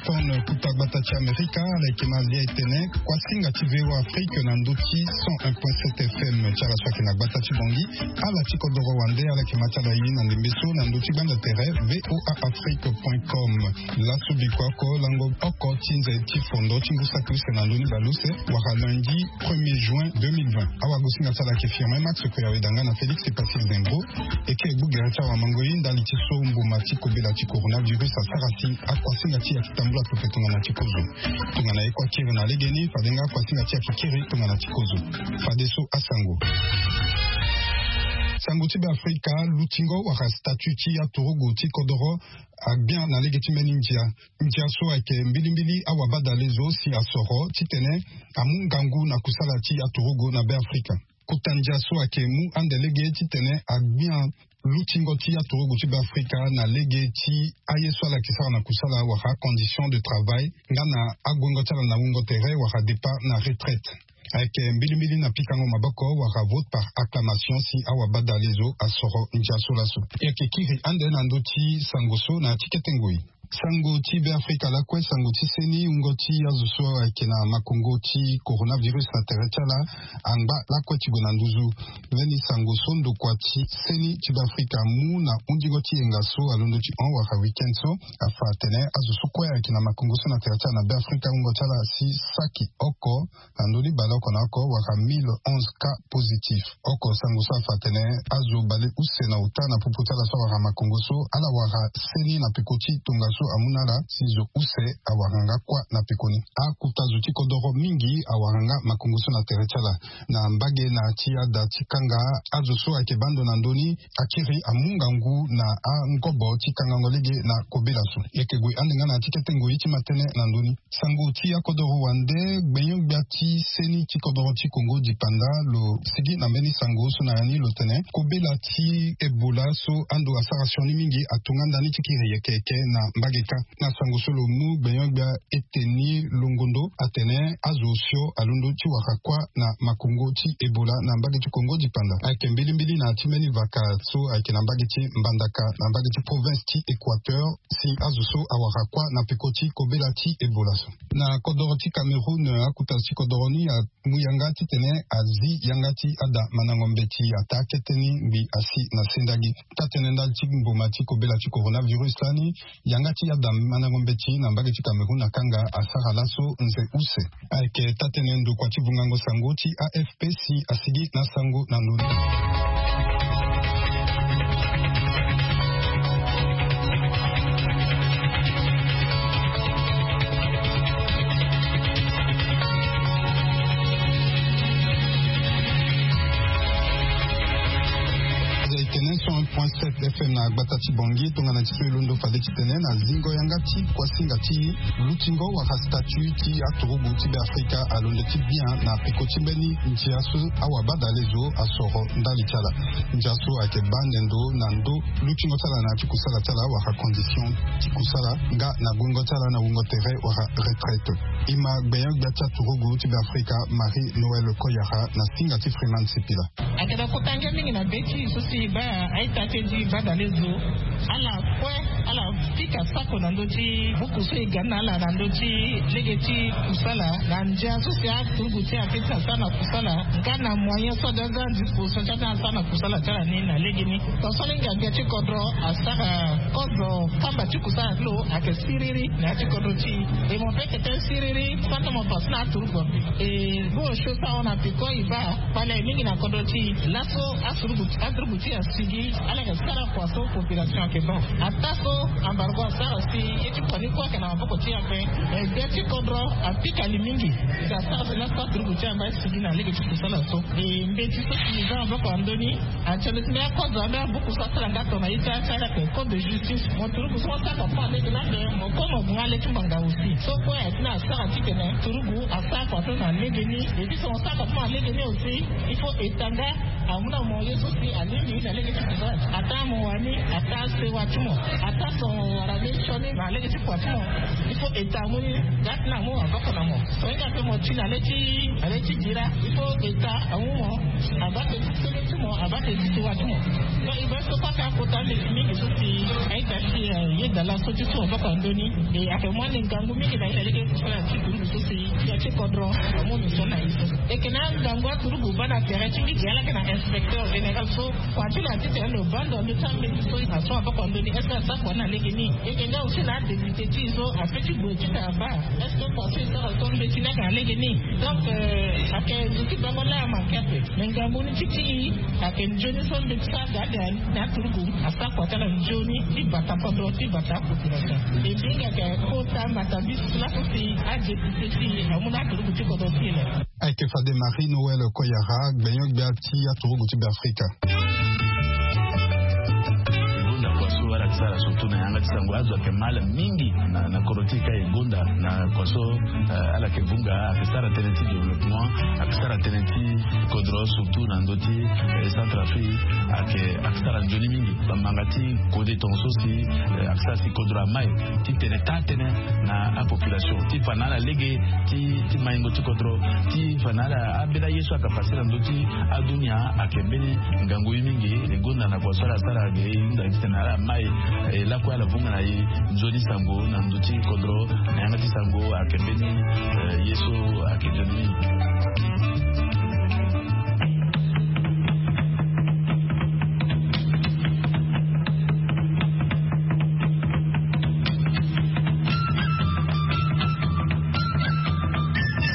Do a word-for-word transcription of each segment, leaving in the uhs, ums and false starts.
Fon kuta gbata ti Amerika ala yeke ma lia etene kuasinga ti V O A Afrique na ndö ti cent un point sept F M ti ala so ayeke na gbata ti Bangui. Ala ti kodoro wande ala yeke ma ti ala ye na ndembe so na ndö ti gbanda tere V O A Afrique point com. Laso bikua oko lango oko ti nze ti fondo ti ngu saki use na ndö ni baleuse wala lundi premier juin deux mille vingt. Awagosinga ti ala ayeke Firmin Max Koyawe Danga na Félix Patrice Dembro. Eke gbu gere ti awamangoi ndali ti so mbuma ti kobela ti coronavirus asara si akuasinga ti e ayeke tambula pepe tongana ti kozo. Tongana e kue akiri na legeni fade nga akuasinga ti e ayeke kiri tongana ti kozo. Fadeso asango. Sango ti Beafrika, lutingo wala statut ti aturugu ti kodoro agbia na lege ti mbeni ndia. Ndia so ayeke mbilimbili awabadale zo si asoro titene amu ngangu na kusala ti aturugu na Beafrika. Kota ndia so ayeke mu ande lege titene agbia lutingo ti aturugu ti Beafrika na lege ti aye so ala yeke sara na kusala wala acondition de travail nga na aguengo ti ala na wungo tere wala départ na retraite. Ayeke mbilimbili na pikango maboko wala vote par acclamation si awabadale zo asoro ndia so laso. E yeke kiri ande na ndö ti sango so na ya ti kete ngoi. Sango ti Beafrika lakue, sango ti seni, wungo ti azo so ayeke na makongo ti coronavirus na tere ti ala angba lakue ti gue na nduzu. Mbeni sango so ndokua ti seni ti Beafrika amu na hundingo ti yenga so alondo ti hon wala weekend so afa atene azo so kue ayeke na makongo so na tere ti ala na Beafrika wungo ti ala asi saki oko na ndö ni baleoko na oko wala mille onze cas positif. Oko sango so afa atene azo baleuse na ota na popo ti ala so awara makongo so ala wara seni na peko ti tongaso amu na ala si zo use awara nga kuâ na peko ni. Akota zo ti kodoro mingi awara nga makongo so na tere ti ala. Na mbage na ya ti ada ti kanga, azo so ayeke bando na ndö ni akiri amu ngangu na angobo ti kangango lege na kobela so. E yeke gue ande nga na ya ti kete ngoi ti ma tënë na ndö ni. Sango ti akodoro wande, gbenyo-gbia ti seni ti kodoro ti Kongo dipanda lo sigi na mbeni sango so na ya ni lo tene kobela ti Ebola so ando asara sioni mingi atonga ndani ti kiri yeke yeke na mbage kâ. Na sango so lo mu, gbenyo-gbia Eteni Longondo atene azo osio alondo ti wara kuâ na makongo ti Ebola na mbage ti Kongo dipanda. Ayeke mbilimbili na ya ti mbeni vaka so ayeke na mbage ti Mbandaka na mbage ti province ti Équateur si azo so awara kuâ na peko ti kobela ti Ebola so. Na kodoro ti Cameroun, akota ti kodoro ni amu yanga titene azi yanga ti ada mandango mbeti ataa kete ni ngbi asi na sendagi. Taa-tënë ndali ti mboma ti kobela ti coronavirus lani, yanga ti ada mandango mbeti na mbage ti Cameroun akanga asara laso nze use. Ayeke taa-tënë ndokua ti vungango sango ti A F P si asigi na sango na ndö ni. Aza etene cent un point sept F M na gbata ti Bangui, tongana ti so e londo fade titene na zingo yanga ti kuasinga ti lutingo wala statut ti aturugu ti Beafrika alondo ti bien na peko ti mbeni ndia so awabadale zo asoro ndali ti ala. Ndia so ayeke baa ande ndo na ndo lutingo ti ala na ya ti kusala ti ala wala condition ti kusala nga na guengo ti ala na wungo tere wala retraite. E ma gbenyo-gbia ti aturugu ti Beafrika Marie Noël Koyara na singa ti Freeman Sipila. Ayeke na kota ngia mingi na be ti e so si e baa a-ita ti e ti badale zo. Ala kue ala pika sako na ndö ti buku so e ga ni na ala na ndö ti lege ti kusala na ndia so si aturugu ti e apeut ti na sara na kusala nga na moyen so aza na disposition ti aza na sara na kusala ti ala ni na legeni. Tongaso lege ngia ti kodro asara kozo kamba ti kusala ti lo ayeke siriri na ya ti kodro ti e. E mo pe yeke tene siriri, sante mo pasi na aturugu ape. E bongbi so e sara na peko e baa kpale mingi na kodro ti e. Laso aturugu aturugu ti e asigi ala yeke sara kua so population ayeke baa. Ataa so embargo asara si ye ti kua ni kue ayeke na maboko ti e ape. E gbia ti kodro apika li mingi si asara si laso aturugu ti e amba e sigi na lege ti kusala so. E mbeti so si e za maboko na ndö ni. Atene ti mbeni akozo ambeni abuku so asara nga tongana ye ti ala ti ala ayeke code de justice. Mo turugu so mo sara kua ti mo na lege ni ape, mo kue mo gue nga le ti ngbanga aussi. So kue ayeke ni asara titene turugu asara kua so na lege ni. Et puis so mo sara kua ti mo na lege ni aussi, il faut e tanga Amu na mo ye so si alingbi na lege ti kua, ata mo wani, ata sewa ti mo, ata so wara be sioni na lege ti kua ti mo. Il faut eta amu ni. Ga ti na mo aboko na mo. So hinga pe mo ti na le ti na le ti dira, il faut eta amu mo. Abake ti sele ti mo, abake ti sewa ti mo. So i be so kota kota lege mingi so si aita si ye dala so ti so aboko andoni. E ake mo ande ngangu mingi na ye na lege ti so na ti duru so si ya ti kodro amu ni so na ye so. Eke na ngangu aturugu bana tere ti mbi ti ala ke na inspecteur général so. Kua ti lo ati tene lo bando ando ti ambeti so aso aboko ando ni est-ce que asa kua na lege ni? Eke nga aussi na adéputé ti so ape ti gue ti tene aba. Est-ce que kua so e sara so mbeti ni ake na lege ni? Donc ake zo ti bango laa manke ape. Me ngangu ni ti ti i ake nzoni so mbeti so aga ade na aturugu asa kua ti ala nzoni ti bata kodro ti bata population. E mbi nga ke kota matabisi laso si adéputé ti i amu na aturugu ti kodro ti i le. Ayeke fade Marie Noël Koyara, gbenyo-gbia ti aturugu ti Beafrika. E gonda kua so ala yeke sara surtout na yanga ti sango azo ayeke mal mingi na, na kodro ti e ka e gonda na kua so, eh, ala yeke vunga, ayeke sara tënë ti développement, ayeke sara tënë ti kodro surtout na ndö ti, eh, Centrafrique, ayeke, ayeke sara nzoni mingi. Bamanga ti kode tongaso si, eh, ayeke sara si kodro amai ti tene taa tënë na apopulation ti fa na ala lege ti, ti maingo ti kodro, ti fa na ala ambeni aye so ayeke pase na ndö ti adunia ayeke mbeni ngangu ye mingi. E gonda na kua so ala sara ge e hunda titene ala mai, eh, lakue ala vunga na e nzoni sango na ndö ti kodro na yanga ti sango ayeke mbeni, eh, ye so ayeke nzoni mingi.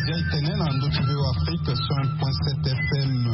Bia e tene na ndö ti V O A Afrique cent point sept F M.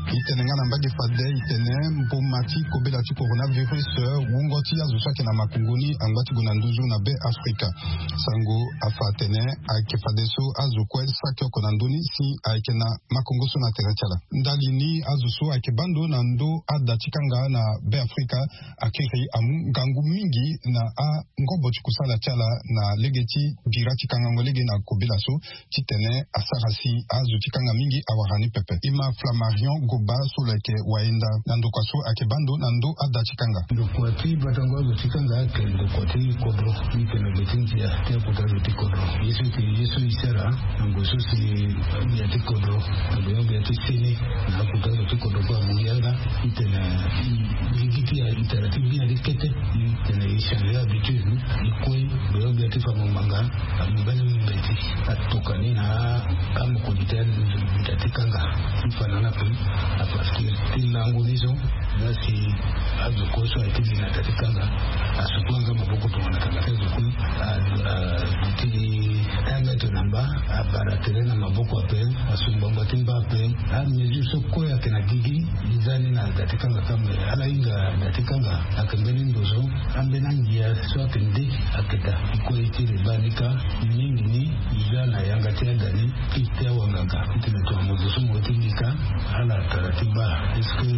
E tene nga na mbage fade e tene mboma ti kobela ti coronavirus, wungo ti azo so ayeke na makongo ni angba ti gue na nduzu na Be Afrika. Sango afa atene ayeke fadeso azo kue saki oko na ndö ni si ayeke na makongo so na tere ti ala. Ndali ni azo so ayeke baa ndo na ndö ada ti kanga na Be Afrika akiri amu ngangu mingi na angobo ti kusala ti ala na lege ti bira ti kangango lege na kobela so titene asara si azo ti kanga mingi awara ni pepe. E ma Flammarion Goba so lo yeke wayenda na ndokua so ayeke baa ndo na ndö ada ti kanga. Ndokua ti batango azo ti kanga ayeke ndokua ti kodro. Ni tene lo ti ndia ti akota azo ti kodro. Ye so e tene ye so e sara na ngoi so si gbia ti kodro na gbia ti seni na akota azo ti kodro kue amu yanga. E tene gigi ti e tara ti gbia ti kete. E tene e changer habitude. E kue gbia gbia ti fango ngbanga. Amu mbeni mbeti atoka ni na amokoni ti aluta ti kanga ti fa na ala pe. A partir ti lango ni so. Nga si azo kue so aye ti li na da ti kanga. Asuku yanga maboko tongana kanga ti azo kue. A, a, ti un mètre na mba. Abara tere na maboko ape. Asu ngbangba ti mba ape. Amesure so kue ayeke na gigi. E za ni na da ti kanga kâ me ala hinga da ti kanga. Ayeke mbeni ndo so. Ambeni angia so ayeke nde. Ayeke daa. E kue e tiri baa ni kâ. Mingi ni. E za na yanga ti ada ni. Ti te awanganga. Ti tene tongana mo zo so mo ye ti li kâ. Ala tara ti baa. Est-ce que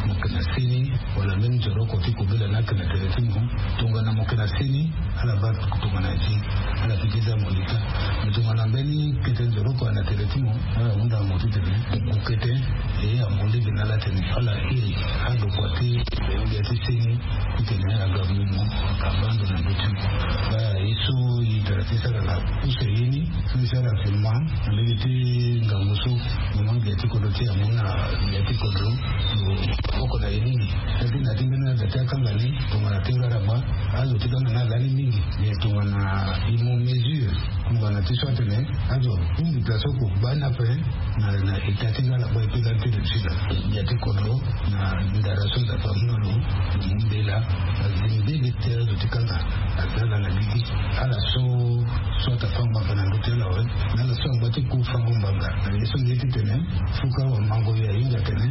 mo yeke na seni? Wala mbeni nzoroko ti kobela ni ayeke na tere ti mo. Tongana mo yeke na seni, ala baa tongana ye ti. Ala fini ti za mo li kâ. Me tongana mbeni kete nzoroko ayeke na tere ti mo, ala hunda mo titene mo ku kete. E ya mo lege na ala tene ala iri adokua ti gbia ti seni. Titene aga mu mo abaa ndo na ndö ti mo. Baa ye so e tara ti sara na use ye ni. So e sara actuellement na lege ti ngangu so. Mo ma gbia ti kodro ti e amu na gbia ti kodro. Lo oko na ye mingi. Teti na ti mbeni na da ti akanga ni tongana ti wara gba. Azo ti kanga ni alani mingi. Me tongana e mu mesure. Tongana ti so atene azo ahunzi place oko gba ni ape. Na, na eta ti nga ala kue e pe lani ti lo ti na gbia ti kodro. Na ndara so Nzapa amu na lo. Lo mu mbela. Azi mbege ti azo ti kanga. Aza ala na gigi. Ala so, so ata fango ngbanga na ndö ti ala awe. Na ala so angba ti ku fango ngbanga. Na ye so nde titene. Fuka wa mango ye ahinga atene.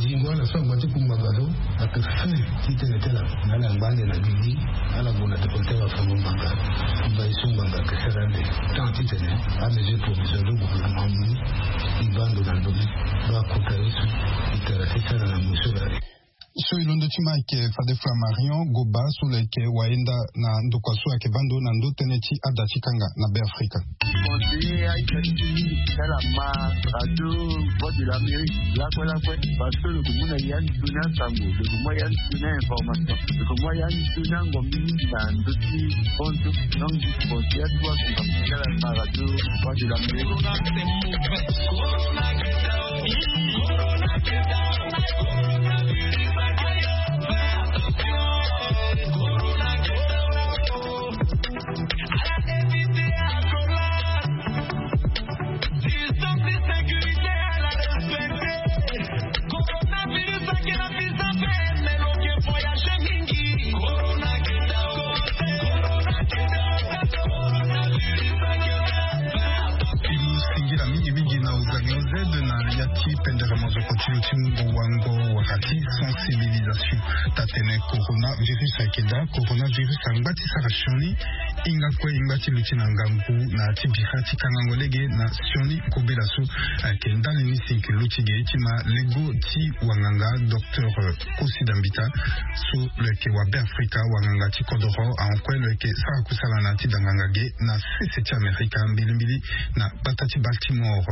Zingo ala so angba ti ku ngbanga so. Ayeke fin ti tene ti ala. Na ala ngba ande na gigi. Ala gue na tokua ti awafango ngbanga. Mba ye so ngbanga ayeke sara ande. Tant titene amesure provisoire ti gouvernement amu ni. E baa ndo na ndö ni. Baa kota ye so. E tara ti sara na mo so laa. So e londo ti ma ayeke fade Flammarion Goba so lo yeke wayenda na ndokua so ayeke baa ndo na ndö tënë ti ada ti kanga na Be Afrika. Conseiller aita ti mingi ti ala ma radio Voix de l'Amérique lakue lakue, parce que lo ko mu na ya ni tuni asango, lo ko mu ya ni tuni a-information, lo ko mu ya ni tuni angombi mingi na ndö ti konzo. Donc je conseille à toi, ko ma ti ala ma radio Voix de l'Amérique. Singila mingi mingi na ozangi ozede na ya ti pendere mazoko ti lo ti ngu wango wala ti sensibilisation. Tatene coronavirus ayeke daa. Coronavirus angba ti sara sioni. Hinga kue, hinga ti luti na ngangu na ti bira ti kangango lege na sioni kobela so ayeke ndani ni si yeke luti ge ti ma lego ti wanganga docteur Kosi Dambita so lo yeke wa Beafrika, wanganga ti kodoro. Ahon kue lo yeke sara kusala na ya ti da nganga ge na sese ti Amerika, mbilimbili na gbata ti Baltimore.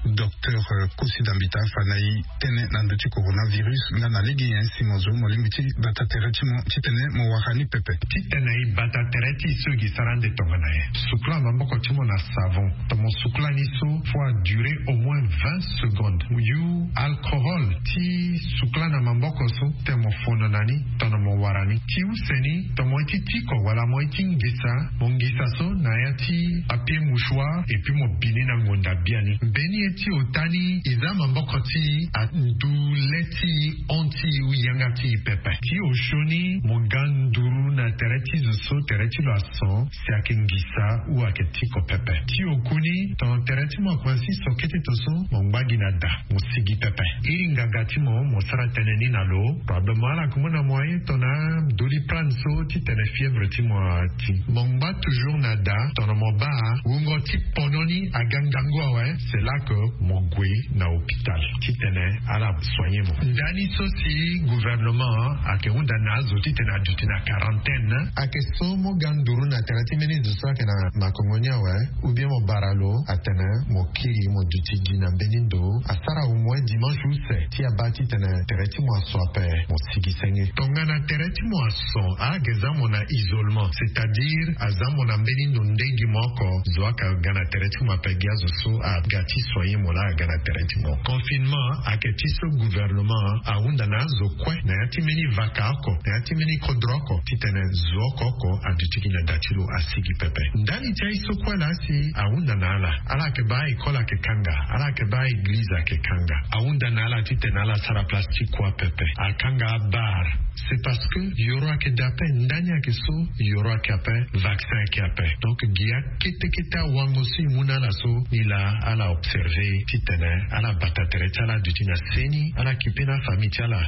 Docteur Kosi Dambita fa na e tënë na ndö ti coronavirus nga na lege nyen si mo zo mo lingbi ti bata tere ti mo titene mo wara ni pepe. Titene e bata tere ti e so e gi sara ande tongana nyen? Sukula maboko ti mo na savon. Tongana mo sukula ni so, fo a durer au moins vingt secondes. Mo yu alcohol ti sukula na maboko so, titene mo fono na ni tongana mo wara ni. Ti use ni, tongana mo ye ti tiko wala mo ye ti ngisa, mo ngisa so na ya ti papier mouchoir, et puis mo bi ni na ngonda biani. Mbeni ye ti ota ni, e za maboko ti e andu le ti e, hon ti e ou yanga ti e pepe. Ti osio ni, mo ga nduru na tere ti zo so tere ti lo ason, si ayeke ngisa ou ayeke tiko pepe. Ti oku ni, tongana tere ti mo akomanse so kete to so, mo ngba gi na da, mo sigi pepe. Iri nganga ti mo, mo sara tënë ni na lo. Probablement ala yeke mu na mo aye tongana Doliprane so titene fièvre ti mo ati. Mo ngba toujours na da. Tongana mo baa wungo ti pono ni aga ngangu awe, c'est là que mo gue na hôpital titene ala soigner mo. Ndani so si gouvernement ayeke hunda na azo titene aduti na quarantaine, ayeke so mo ga nduru na tere ti mbeni zo so ayeke na makongo ni awe, ou bien mo bara lo atene mo kiri mo duti gi na mbeni ndo. Asara au moins dimanche use ti abaa titene tere ti mo ason ape, mo sigi senge. Tongana tere ti mo ason, ayeke za mo na isolement, c'est-à-dire aza mo na mbeni ndo nde gi mo oko, zo ayeke ga na tere ti mo ape, gi azo so aga ti soigner mo laa aga na tere ti mo. Confinement ayeke ti so gouvernement ahunda na azo kue na ya ti mbeni vaka oko, na ya ti mbeni kodro oko, titene zo oko oko aduti gi na da ti lo, asigi pepe. Ndali ti aye so kue laa si ahunda na ala, ala yeke baa école ayeke kanga, ala yeke baa église ayeke kanga. Ahunda na ala titene ala sara place ti kua pepe. Akanga abar. C'est parce que yoro ayeke daa ape, ndani ayeke so, yoro ayeke ape, vaccin ayeke ape. Donc gi akete kete awango so e mu na ala so, ni laa ala observer titene ala bata tere ti ala aduti na seni, ala kipe na afamille ti ala.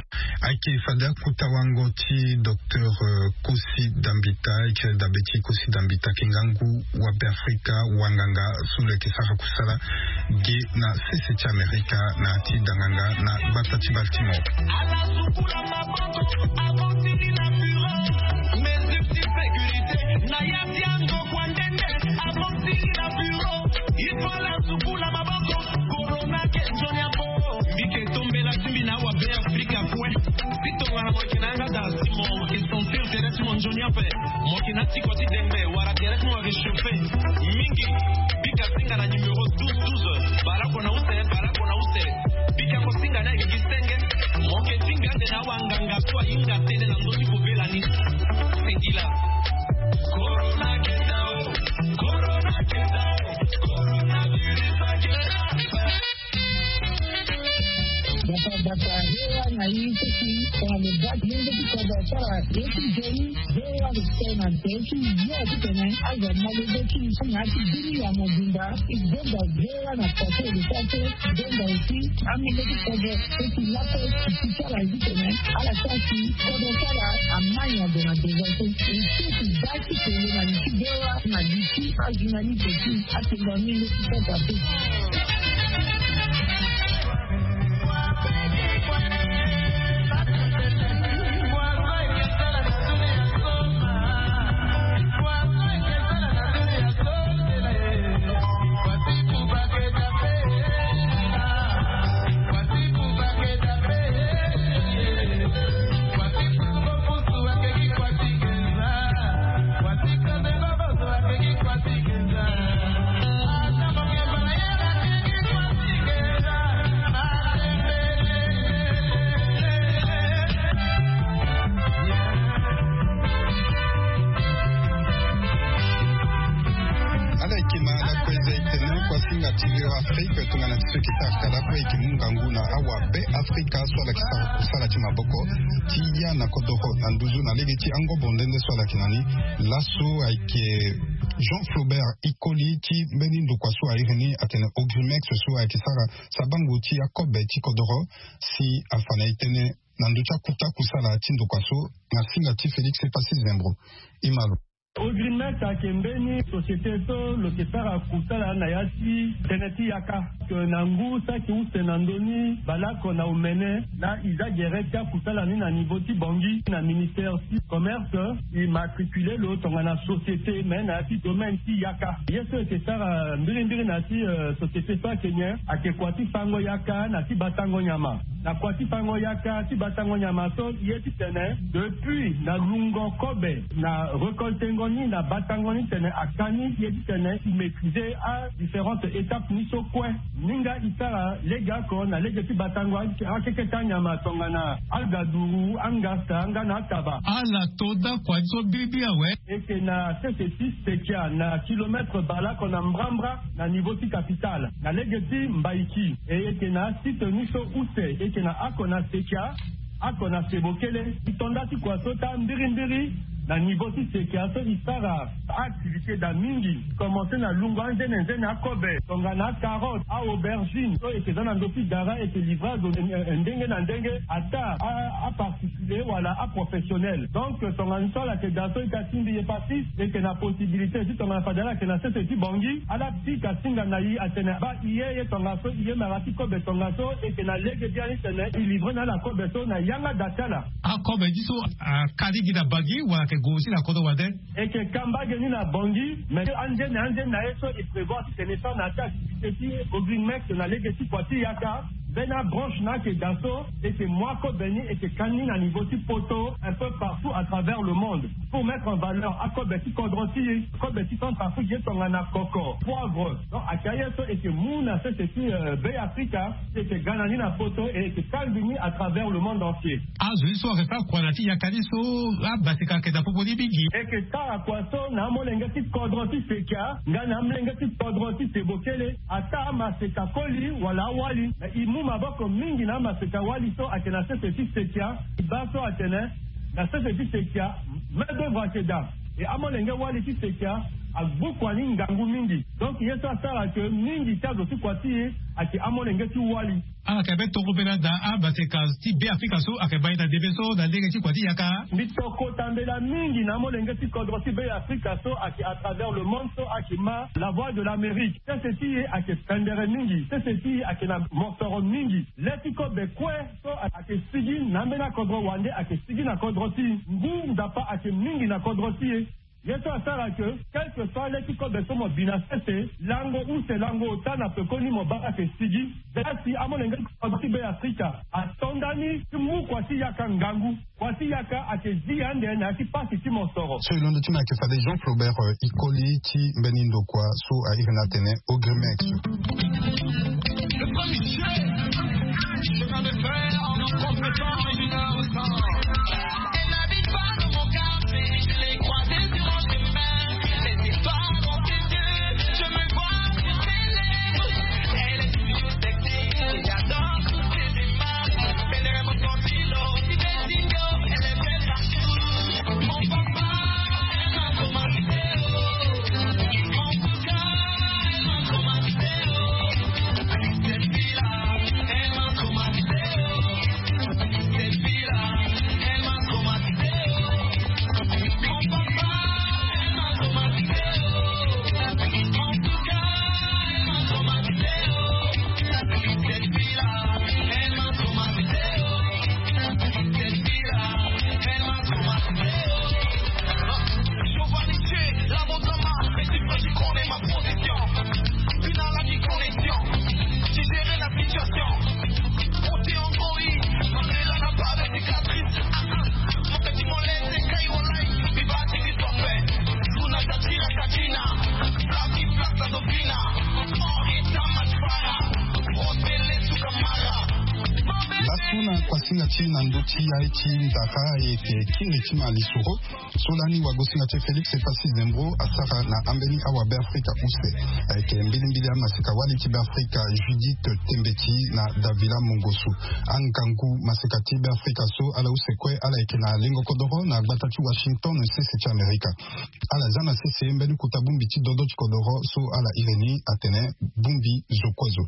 Ayeke fade akota wango ti docteur, euh, Kosi Dambita, e kiri dabe ti Kosi Dambita, ayeke ngangu wa Beafrika, wanganga so lo yeke sara kusala ge na sese ti Amerika na ya ti da nganga na gbata ti Baltimore. Corona ke nzoni apo. Mbi ke tombela ti mbi na awa Beafrika kue. Si tongana mo yeke na yanga daa si mo yeke sentir tere ti mo nzoni ape, mo yeke na tiko ti dengbe wala tere ti mo ayeke chauffer mingi, bika singa na numéro douze douze. Bale oko na use, bale oko na use. Bika ko singa ni ayeke gi senge. Mo yeke tingbi ande na awanganga so ahinga tënë na ndö ti kobela ni. Singila. Corona ke daa o. Corona ke daa o. Coronavirus ake. Bata bata, V O A na ye ti si, tongana lo baa ti lenge ti kodro sara ye ti nzoni, V O A lo sara na nzoni ti yo titene azo amolenge ti so na ya ti bini ya mobimba. E gonda V O A na pase lo sara so, e gonda aussi amolenge ti kodro so ti lakue ti ti sara titene ala sara si kodro ti ala amai na gue na devant so. E so ti baa ti kele na li ti V O A na li ti ajournaliste ti atengo amolenge ti kodro ape. Kima na kue eza etene kua singa ti Veo Afrique tongana ti so eke sara kala kue eke mu ngangu na awa Be Afrika so ala ke sara kusala ti maboko ti ya na kodoro na nduzu na lege ti angobo nde nde so ala ke na ni. Laso ayeke Jean Flaubert Ikoli ti mbeni ndokua so a iri ni atene Ogrimex so ayeke sara sabango ti akobe ti kodoro si afa na e tënë na ndö ti akuta kusala ti ndokua so na singa ti Félix Epassi Zembro. Imalo. Ogrimex ayeke mbeni société so lo ke sara kusala na ya ti tënë ti yaka. Ke na ngu saki use na ndö ni baleoko na omene na e za gere ti akusala ni na niveau ti Bangui na ministère ti commerce. E matricule lo tongana société me na ya ti domaine ti yaka. Ye so eke sara mbirimbiri na ya ti société so ayeke nyen? Ayeke kua ti fango yaka na ti batango nyama. Na kua ti fango yaka ti batango nyama so ye ti tene depuis na lungo kobe na recoltengo ni na batango ni tene aka ni ye ti tene e maîtriser a différentes étapes ni so kue. Ni nga e sara lege oko na lege ti batango akeke ti anyama tongana agaduru, angasta nga na ataba. Ala to da kua ti so biribi awe. Eke na sese ti sekia na kilomètre baleoko na mbrambra na niveau ti capitale na lege ti mbaiki. E eke na asite ni so use eke na ako na sekia, ako na sebokele. Ti tonda ti kua so ta mbirimbiri na niveau ti sekia so e sara activité daa mingi. Commencer na lungo anzene nzene akobe tongana acarotte, aaubergine so eke za na ndö ti dara eke livrer azo ndenge na ndenge ata aparticulier wala aprofessionnel. Donc tongana so ala yeke daa so ita ti mbi ye pasis eke na possibilité ti tongana fade ala yeke na sese ti Bangui ala pika singa na e atene baa e ye ye tongaso e ye mara ti kobe tongaso eke na lege biani tene e livrer na ala kobe so na yanga daa ti ala. Akobe ti so aka lege na Bangui wala ayeke gue aussi na kodro wande? Eke ka mbage ni na Bangui mais anzene anzene na ye so e prévoir ti tene e sara na ya ti activité ti Ogrimex na lege ti kua ti yaka. Mbeni abranche na ayeke daa so eke mu akobe ni eke ka ni na niveau ti poto un peu partout à travers le monde pour mettre en valeur akobe ti kodro ti e. Kobe ti Centrafrique ye tongana koko, poivre. Donc ayeke aye so eke mu na sese ti Be Afrika ti eke ga na ni na poto e eke kangbi ni à travers le monde entier. Azo ti so ayeke sara kua na ya ti yaka ni so abaseka ayeke daa popo ni mingi. Eke sara kua so na amolenge ti kodro ti sekia nga na amolenge ti kodro ti sebokele ata amaseka koli wala awali. E mu maboko mingi na amaseka wali so ayeke na sese ti sekia. E baa so atene na sese ti sekia main d'œuvre ayeke daa. E amolenge wali ti sekia agbu kua ni ngangu mingi. Donc ye so asara ke mingi ti azo ti kua ti e ayeke amolenge ti wali. Ala yeke be tokobela daa amaseka ti Be Afrika so ayeke baa e na ndembe so na lege ti kua ti yaka. Mbi tokota mbela mingi na amolenge ti kodro ti Be Afrika so ayeke à travers le monde so ayeke ma la voix de l'Amérique. Sese ti e ayeke pendere mingi. Sese ti e ayeke na mosoro mingi. Le ti kobe kue so ayeke sigi na ambeni akodro wande ayeke sigi na kodro ti e. Ngu nzapa ayeke mingi na kodro ti e. Ye so asara ke quelque soit le ti kobe so mo bi na sese lango use lango ota na pekoni mo baa ayeke sigi. Zia si amolenge ti kodro ti Be Afrika ato nda ni ti mu kua ti yaka ngangu. Kua ti yaka ayeke zi ande na ya ti pasi ti mosoro. So e londo ti me ayeke fade Jean Flaubert Ikoli ti mbeni ndokua so a iri ni atene Ogrimex. Singa ti na ndö ti ya ti ndara ayeke kiri ti ma lisoro so lani wagosinga ti félix epasi zembro asara na ambeni awabe afrika use. Ayeke mbilimbili amaseka wali ti beafrika judith tembeti na davila mongosu. Angangu maseka ti beafrika so ala use kue ala yeke na lengo kodoro na gbata ti washington sese ti amerika. Ala za na sese mbeni kuta bongbi ti dodo ti kodoro so ala iri ni atene bongbi zo kue zo.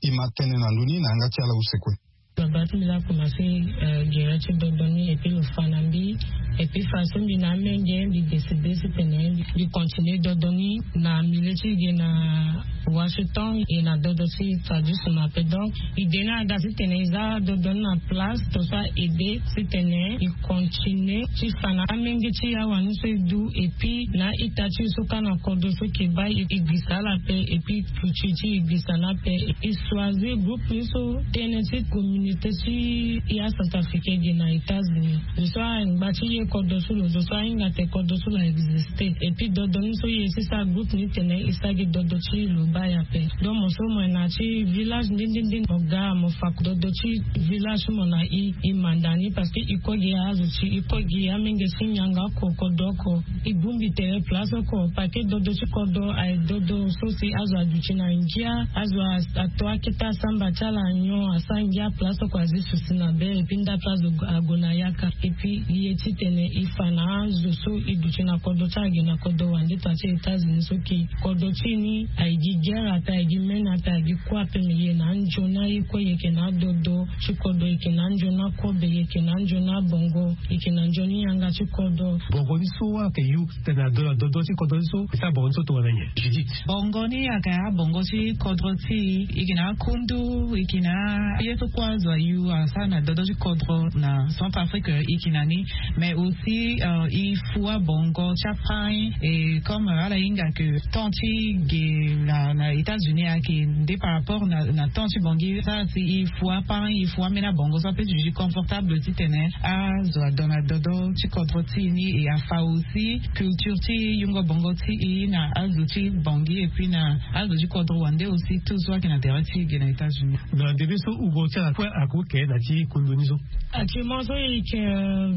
E ma tene na ndö ni na yanga ti ala use kue. Baba ti mbi la commencé gere ti dodo ni et puis lo fa na mbi. Et puis façon mbi na amenge mbi décidé si tene mbi continue dodo ni na milieu ti ge na washington et na dodo ti tradition ape donc idée ni aga si tene e za dodo ni na place to so a aidé si tene e continue ti fa na amenge ti awa ni so e du et puis na a-ita ti e so kâ na kodro so e ke baa e gbisa ala ape et puis culture ti e gbisa ni ape. E choisir groupe ni so tënë ti communauté ti e acentrafricain ge na états-unis. Lo so angba ti e kodro so lo zo so ahinga tene kodro so lo existé et puis dodo ni so e ye ti sara groupe ni tene e sara gi dodo ti lo baa e ape. Donc mo so mo yeke na ya ti village nde nde nde mo ga mo fa dodo ti village ti mo na e e manda ni parce que e kue gi azo ti e kue gi amenge ti nyango oko kodro oko. E bongbi tere place oko parce que dodo ti kodro aye dodo so si azo aduti na ngia azo ato akete asamba ti ala nyon asara ngia place oko azi susi na be et puis nda place ague na yaka et puis e ye titene e fa na azo so e duti na kodro ti ala gi na kodro wande to na ti états-unis so ke kodro ti e ni aye gi guerre ape aye gi mene ape aye gi kue ape me e ye na anzoni aye kue e yeke na adodo ti kodro e yeke na anzoni akobe e yeke na anzoni abongo e yeke na nzoni yanga ti kodro. Bongo ni so ayeke yu tene ado na dodo ti kodro ni so e sara bongo ni so tongana nyen? Judith. Bongo ni ayeke abongo ti kodro ti e e yeke na akundu e yeke na ye so kue azo ayu asara na dodo ti kodro na centre afrique e yeke na ni. Mais aussi e fua bongo ti apai e comme ala hinga ke temps ti ge na états-unis ayeke nde par rapport na temps ti bongi sara si e fua apai e fua ambeni abongo so ape ti duti confortable titene azo ado na dodo ti kodro ti e ni e afa aussi culture ti yungo bongo ti e na azo ti bongi et puis na azo ti kodro wande aussi tout so ayeke na tere ti e ge na états-unis. Na ndembe so ugo ti ala kue ako ke na ti kundu ni so. Actuellement so e yeke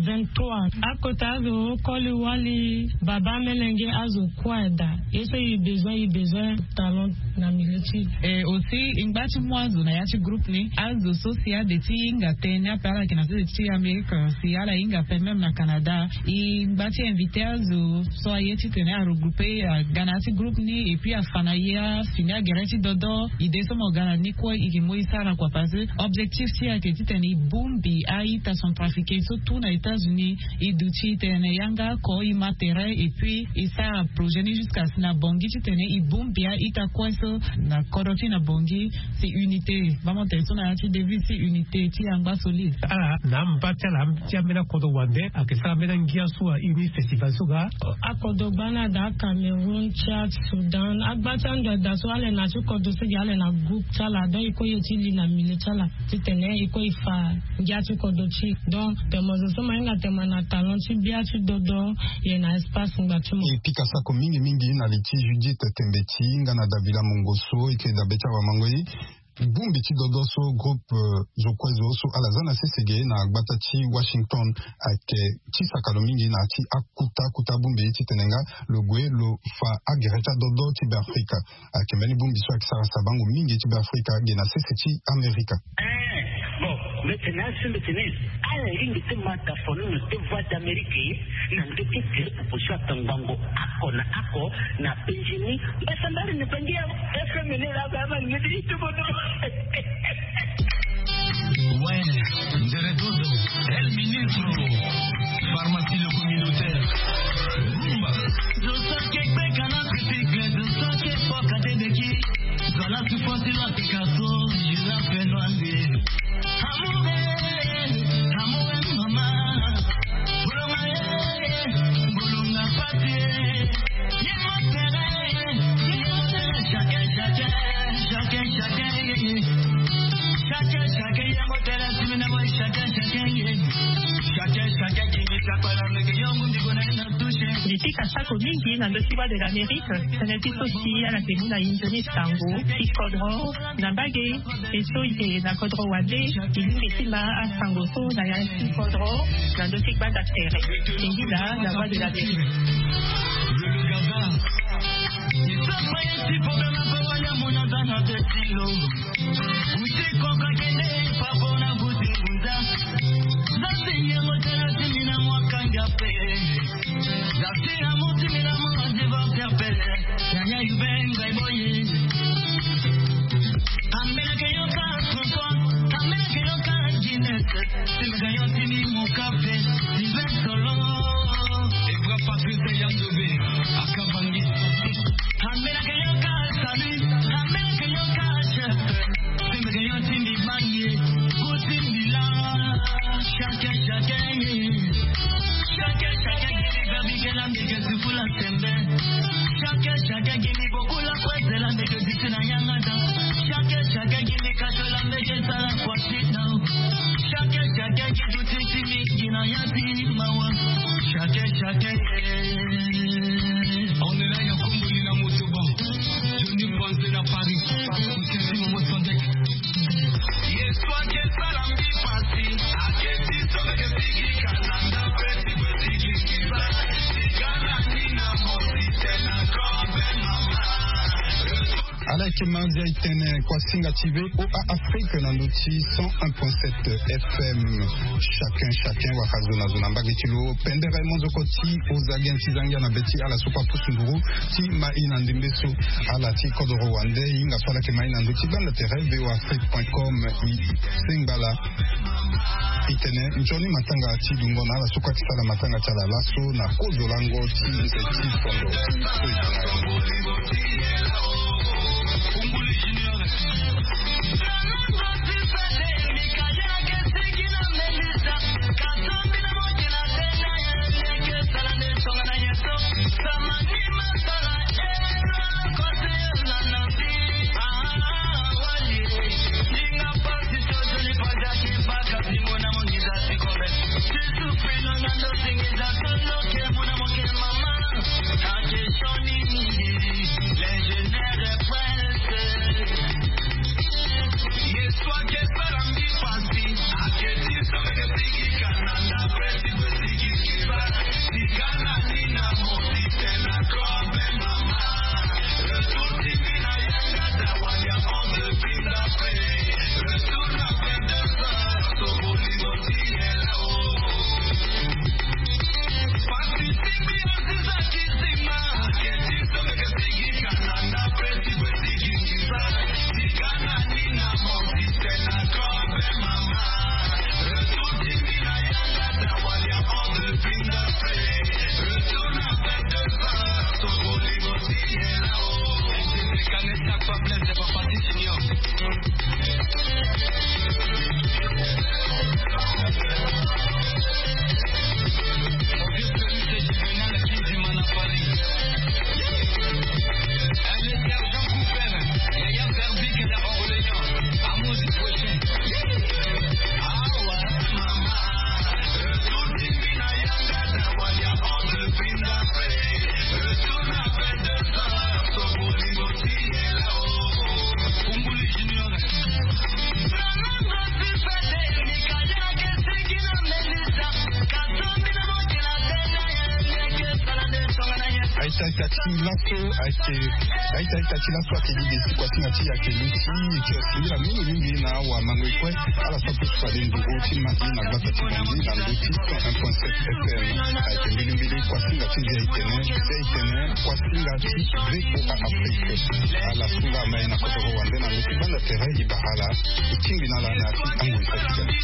vingt-trois akota azo koli wali baba amelenge azo kue ada ye so e besoin e besoin talent na milieu ti e aussi e ngba ti mu azo na ya ti groupe ni azo so si ade ti hinga tënë ni ape ala yeke na sese ti amérique si ala hinga ape même na canada. E ngba ti invité azo so aye titene aregroupe aga na ya ti groupe ni et puis afa na ye afini agere ti dodo idée so mo ga na ni kue e ke mu e sara kua parce que objectif ti e ayeke titene e bongbi a-ita centrafricain so tout na états-unis e duti tene yanga oko e ma tere et puis e sara projet ni jusqu'à si na bongi titene e bongbi a-ita kue so na kodro ti na bongi. Si unité bamo tene so na ya ti devise ti unité ti yangba solide. Ala na amba ti ala ti ambeni akodro wande ayeke sara ambeni angia so aye ni festival so ga. Akodro gbani ada acameroun tchad soudan agba ti ando ada so ala ye na ti kodro so gi ala ye na groupe ti ala donc e kue ye ti li na milieu ti ala titene e kue e fa ngia ti kodro ti e donc tene mo zo so mo hinga tene mo na talent ti bia ti dodo. Ye na espace ngba ti mo. E pika sako mingi mingi na li ti judith tembe ti hinga na davila mongo so e ke dabe ti awamango ye. Bongbi ti dodo so groupe zo kue zo so ala za na sese ge na gbata ti washington ayeke ti saka lo mingi na ya ti akuta akuta bongbi titene nga lo gue lo fa agere ti adodo ti beafrika. Ayeke mbeni bongbi so ayeke sara sabango mingi ti beafrika ge na sese ti amerika. Bon, mbi tene asi mbi tene ala lingbi ti ma tafoni na te voie d'amérique na ndö ti gere proposition atangbango ako na ako na penzi ni. Mbasambari na bangi ya fm ni la ba ma lingbi ti tubono. Ouais, nzere dodo el ministro. Pharmacie le communautaire. Rumba. Dosa ke kpeka na kritik dosa ke kpokate deki. Zala tufosi la pikaso. Jila fenoise. Amour, amour, mama. Bolonga, bolonga, papier. Ye motere, ye motere, chacun, chacun, chacun, chacun, ye, ye. Chacun, chacun, ye motere, simina boy, chacun, chacun, ye. Chacun, chacun, qui dit ça, pas la règle, yo, mundi, bona, na touche. Afrika asako mingi na ndö ti Voix de l'Amérique. Tënë ti so si ala yeke mu na e nzoni sango ti kodro na mbage. E so e yeke na kodro wande, e lingbi ti ma asango so na ya ti kodro na ndö ti gbanda tere. Singila na Voix de l'Amérique. On est là, ya komboli na motoba. Johnny Panze na Paris. Kutesi Momo Sandek. Ala yeke ma ndia e tene kuasinga ti V O A Afrique na ndö ti cent un point sept F M. Chacun, chacun, waka zo na zo na mbage ti lo. Pendere monzoko ti oza gen ti zangia na be ti ala so kue apusu nduru ti ma e na ndembe so. Ala ti kodoro wande, e hinga so ala yeke ma e na ndö ti gbanda tere V O A Afrique point com. E sengba ala. E tene nzoni matanga ti dungo na ala so kue ake sara matanga ti ala laso na kozo lango ti nze ti fondo. Aita aita ti laso ayeke aita aita ti laso ayeke gi de ti kuasinga ti e ayeke luti e yeke singila mingi mingi na awamango e kue. Ala so apusu fade nduru ti ma e na gbata ti Bangui na ndö ti cent un point sept F M. Ayeke mbilimbili kuasinga ti ndia e tene ndia e tene kuasinga ti V O A Afrique. Ala so nga ma e na kodoro wande na ndö ti gbanda tere e bara ala e tingbi na ala na ya ti tango e saki tene.